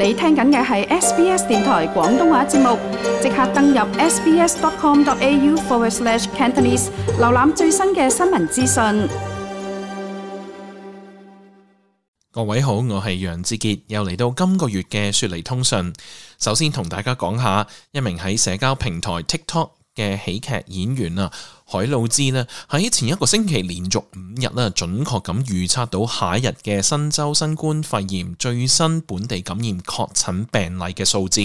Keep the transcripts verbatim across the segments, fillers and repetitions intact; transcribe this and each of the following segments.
你聽緊嘅係 S B S 電台廣東話節目，即刻登入 sbs.com.au forward slash Cantonese， 瀏覽最新嘅新聞資訊。各位好，我係楊志傑，又嚟到今個月嘅雪梨通訊。首先同大家講下一名喺社交平台 TikTok 嘅喜劇演員啊，海魯茲呢喺前一個星期連續五日呢準確咁預測到下一日嘅新州新冠肺炎最新本地感染確診病例嘅數字。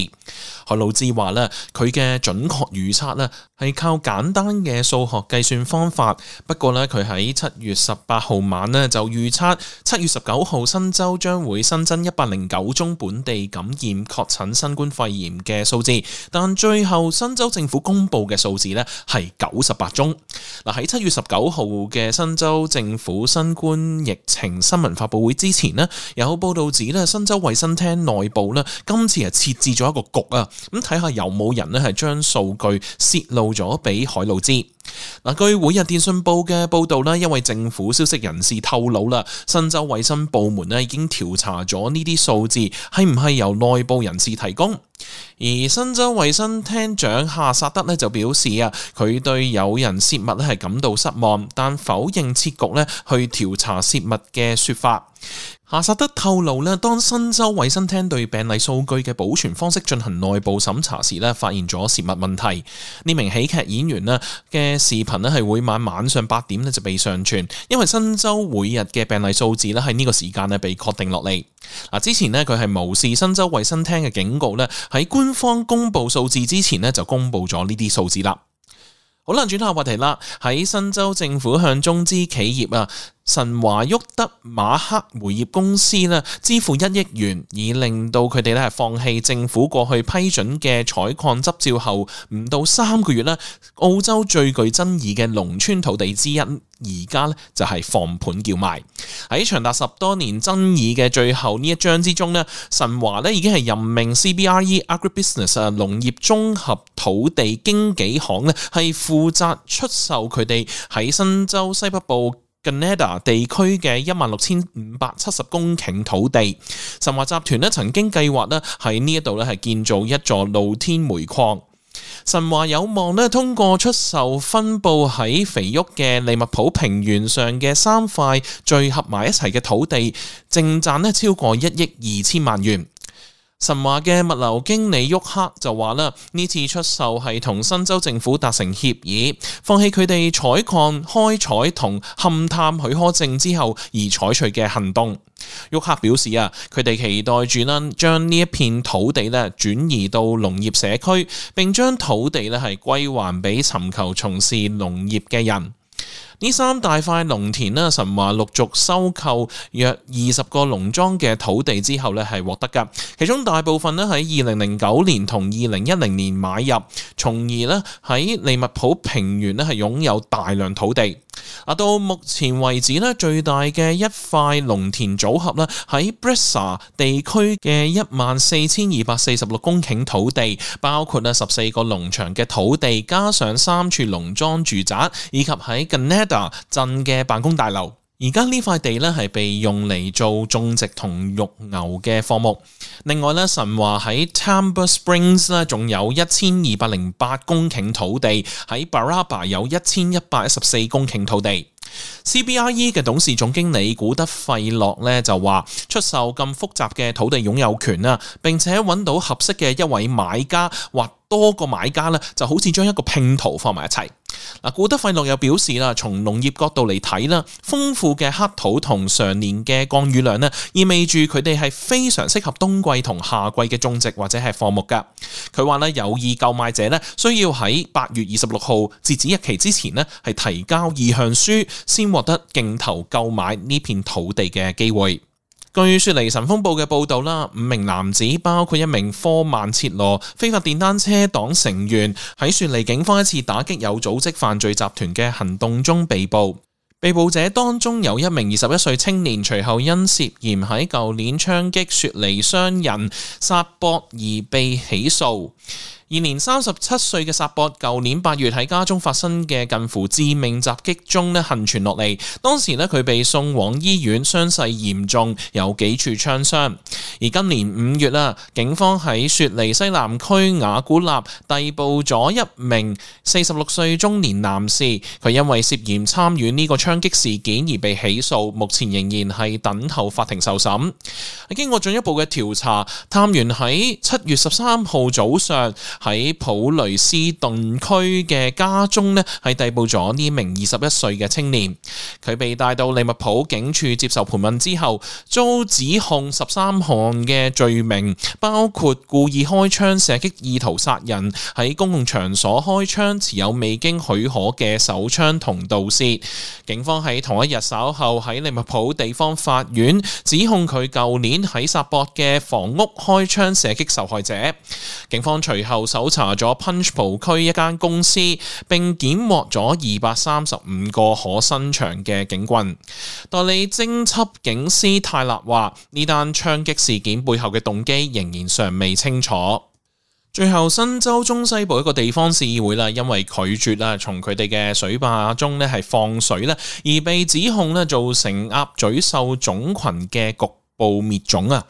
海魯茲話呢，佢嘅準確預測呢係靠簡單嘅數學計算方法，不過呢，佢喺七月十八號晚呢就預測七月十九號新州將會新增一百零九宗本地感染確診新冠肺炎嘅數字，但最後新州政府公布嘅數字呢係九十八宗。嗱，喺七月十九號嘅新州政府新冠疫情新聞發佈會之前呢，有報道指咧新州衛生廳內部咧今次係設置咗一個局啊，咁睇下有冇人咧係將數據泄露咗俾海魯茲。嗱，據每日電訊報嘅報道咧，因為政府消息人士透露啦，新州衛生部門咧已經調查咗呢啲數字係唔係由內部人士提供。而新州衛生廳長夏薩德咧就表示啊，佢對有人泄密咧係感到失望，但否認設局咧去調查泄密嘅說法。夏薩德透露咧，當新州衛生廳對病例數據嘅保存方式進行內部審查時咧，發現咗泄密問題。呢名喜劇演員咧嘅視頻咧係每晚晚上八點咧就被上傳，因為新州每日嘅病例數字咧喺呢個時間咧被確定落嚟。嗱，之前咧佢係無視新州衛生廳嘅警告咧，喺官方公布數字之前咧就公布咗呢啲數字啦。好啦，轉下話題啦。喺新州政府向中資企業啊神華沃德馬克煤業公司咧支付一億元，以令到佢哋咧係放棄政府過去批准嘅採礦執照後唔到三個月咧，澳洲最具爭議嘅農村土地之一，而家咧就係放盤叫賣。喺長達十多年爭議嘅最後呢一章之中咧，神華咧已經係任命 C B R E Agribusiness 啊農業綜合土地經紀行咧係負責出售佢哋喺新州西北部Gunnedah 地區嘅一萬六千五百七十公頃土地。神華集團咧曾經計劃咧喺呢一度咧係建造一座露天煤礦。神華有望咧通過出售分佈喺肥沃嘅利物浦平原上嘅三塊聚合埋一齊嘅土地，淨賺咧超過一億二千萬元。神華嘅物流經理沃克就話啦，呢次出售係同新州政府達成協議，放棄佢哋採礦、開採同勘探許可證之後而採取嘅行動。沃克表示啊，佢哋期待住啦，將呢一片土地咧轉移到農業社區，並將土地咧係歸還俾尋求從事農業嘅人。呢三大塊農田咧，神華陸續收購約二十個農莊嘅土地之後咧，係獲得㗎。其中大部分咧喺二零零九年同二零一零年買入，從而咧喺利物浦平原咧係擁有大量土地。啊，到目前為止咧，最大嘅一塊農田組合咧喺 Bressa 地區嘅一萬四千二百四十六公頃土地，包括咧十四個農場嘅土地，加上三處農莊住宅，以及喺 Gunnedah 鎮嘅辦公大樓。而家呢塊地咧係被用嚟做種植同育牛嘅項目。另外咧，神華喺 Tamber Springs 咧仲有一千二百零八公頃土地，喺 Baraba 有一千一百一十四公頃土地。C B R E 嘅董事總經理古德費洛咧就話，出售咁複雜嘅土地擁有權啊，並且揾到合適嘅一位買家或多個買家咧，就好似將一個拼圖放埋一齊。嗱，古德費洛又表示啦，從農業角度嚟睇啦，豐富嘅黑土同常年嘅降雨量咧，意味住佢哋係非常適合冬季同夏季嘅種植或者係放牧噶。佢話咧，有意購買者咧需要喺八月二十六號截止日期之前咧係提交意向書，先獲得競投購買呢片土地嘅機會。據雪梨晨鋒報嘅報導啦，五名男子包括一名科曼切羅非法電單車黨成員，喺雪梨警方一次打擊有組織犯罪集團嘅行動中被捕。被捕者當中有一名二十一歲青年，隨後因涉嫌喺舊年槍擊雪梨商人薩博而被起訴。現年三十七歲嘅薩博，舊年八月喺家中發生嘅近乎致命襲擊中咧幸存落嚟。當時咧佢被送往醫院，傷勢嚴重，有幾處槍傷。而今年五月啦，警方喺雪梨西南區雅古納逮捕咗一名四十六歲中年男士，佢因為涉嫌參與呢個槍擊事件而被起訴，目前仍然係等候法庭受審。經過進一步嘅調查，探員喺七月十三號早上喺普雷斯頓區嘅家中呢係逮捕咗呢名二十一歲嘅青年。佢被帶到利物浦警署接受盤問之後，遭指控十三項嘅罪名，包括故意開槍射擊、意圖殺人、喺公共場所開槍、持有未經許可嘅手槍同盜竊。警方喺同一日稍後喺利物浦地方法院指控佢舊年喺薩博嘅房屋開槍射擊受害者。警方隨後搜查咗 Punchbowl 區一間公司，並檢獲咗二百三十五個可伸長嘅警棍。代理偵緝警司泰勒話：呢單槍擊事件背後嘅動機仍然尚未清楚。最後，新州中西部一個地方市議會啦，因為拒絕啦從佢哋嘅水壩中咧係放水咧，而被指控咧造成鴨嘴獸種群嘅局部滅種啊！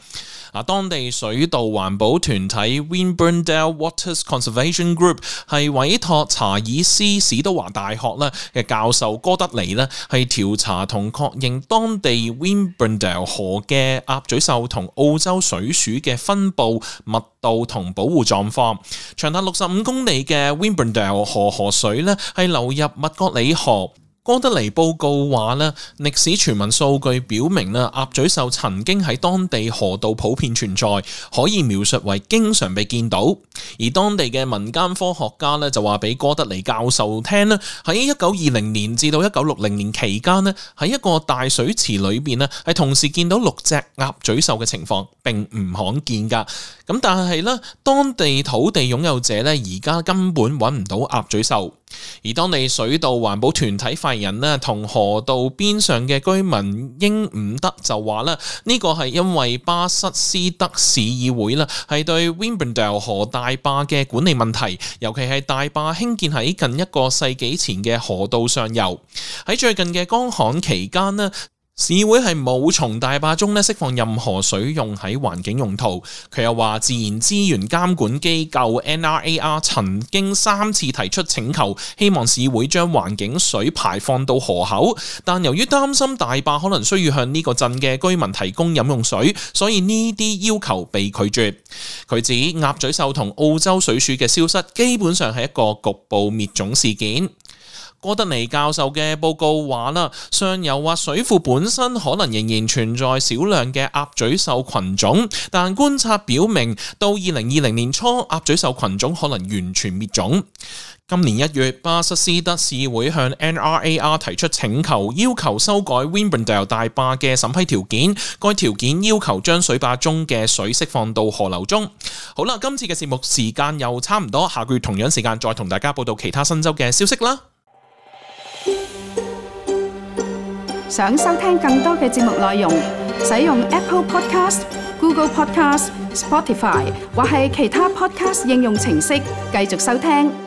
啊，當地水稻環保團體 Winburndale Waters Conservation Group 係委託查爾斯史都華大學咧嘅教授哥德尼咧係調查同確認當地 Winburndale 河嘅鴨嘴獸同澳洲水鼠嘅分佈、密度同保護狀況。長達六十五公里嘅 Winburndale 河河水咧係流入麥覺里河。哥德尼報告話咧，歷史傳聞數據表明咧，鴨嘴獸曾經喺當地河道普遍存在，可以描述為經常被見到。而當地嘅民間科學家咧就話俾哥德尼教授聽咧，喺一九二零年至到一九六零年期間咧，喺一個大水池裏邊咧係同時見到六隻鴨嘴獸嘅情況並唔罕見㗎。咁但係咧，當地土地擁有者咧而家根本揾唔到鴨嘴獸。而當地水稻環保團體發言人咧同河道邊上嘅居民英伍德就話咧，呢個係因為巴瑟斯德市議會啦係對 Winburndale 河大壩嘅管理問題，尤其係大壩興建喺近一個世紀前嘅河道上游。喺最近嘅乾旱期間咧，市會係冇從大壩中咧釋放任何水用喺環境用途。佢又話，自然資源監管機構 N R A R 曾經三次提出請求，希望市會將環境水排放到河口，但由於擔心大壩可能需要向呢個鎮嘅居民提供飲用水，所以呢啲要求被拒絕。佢指鴨嘴獸同澳洲水鼠嘅消失基本上係一個局部滅種事件。哥德尼教授嘅報告話啦，上游或水庫本身可能仍然存在少量嘅鴨嘴獸群種，但觀察表明到二零二零年初，鴨嘴獸群種可能完全滅種。今年一月，巴瑟斯德市會向 N R A R 提出請求，要求修改 Winburndale 大壩嘅審批條件。該條件要求將水壩中嘅水釋放到河流中。好啦，今次嘅節目時間又差唔多，下個月同樣時間再同大家報道其他新州嘅消息啦。想收聽更多嘅節目內容，使用 Apple Podcast、Google Podcast、Spotify 或係其他 Podcast 應用程式繼續收聽。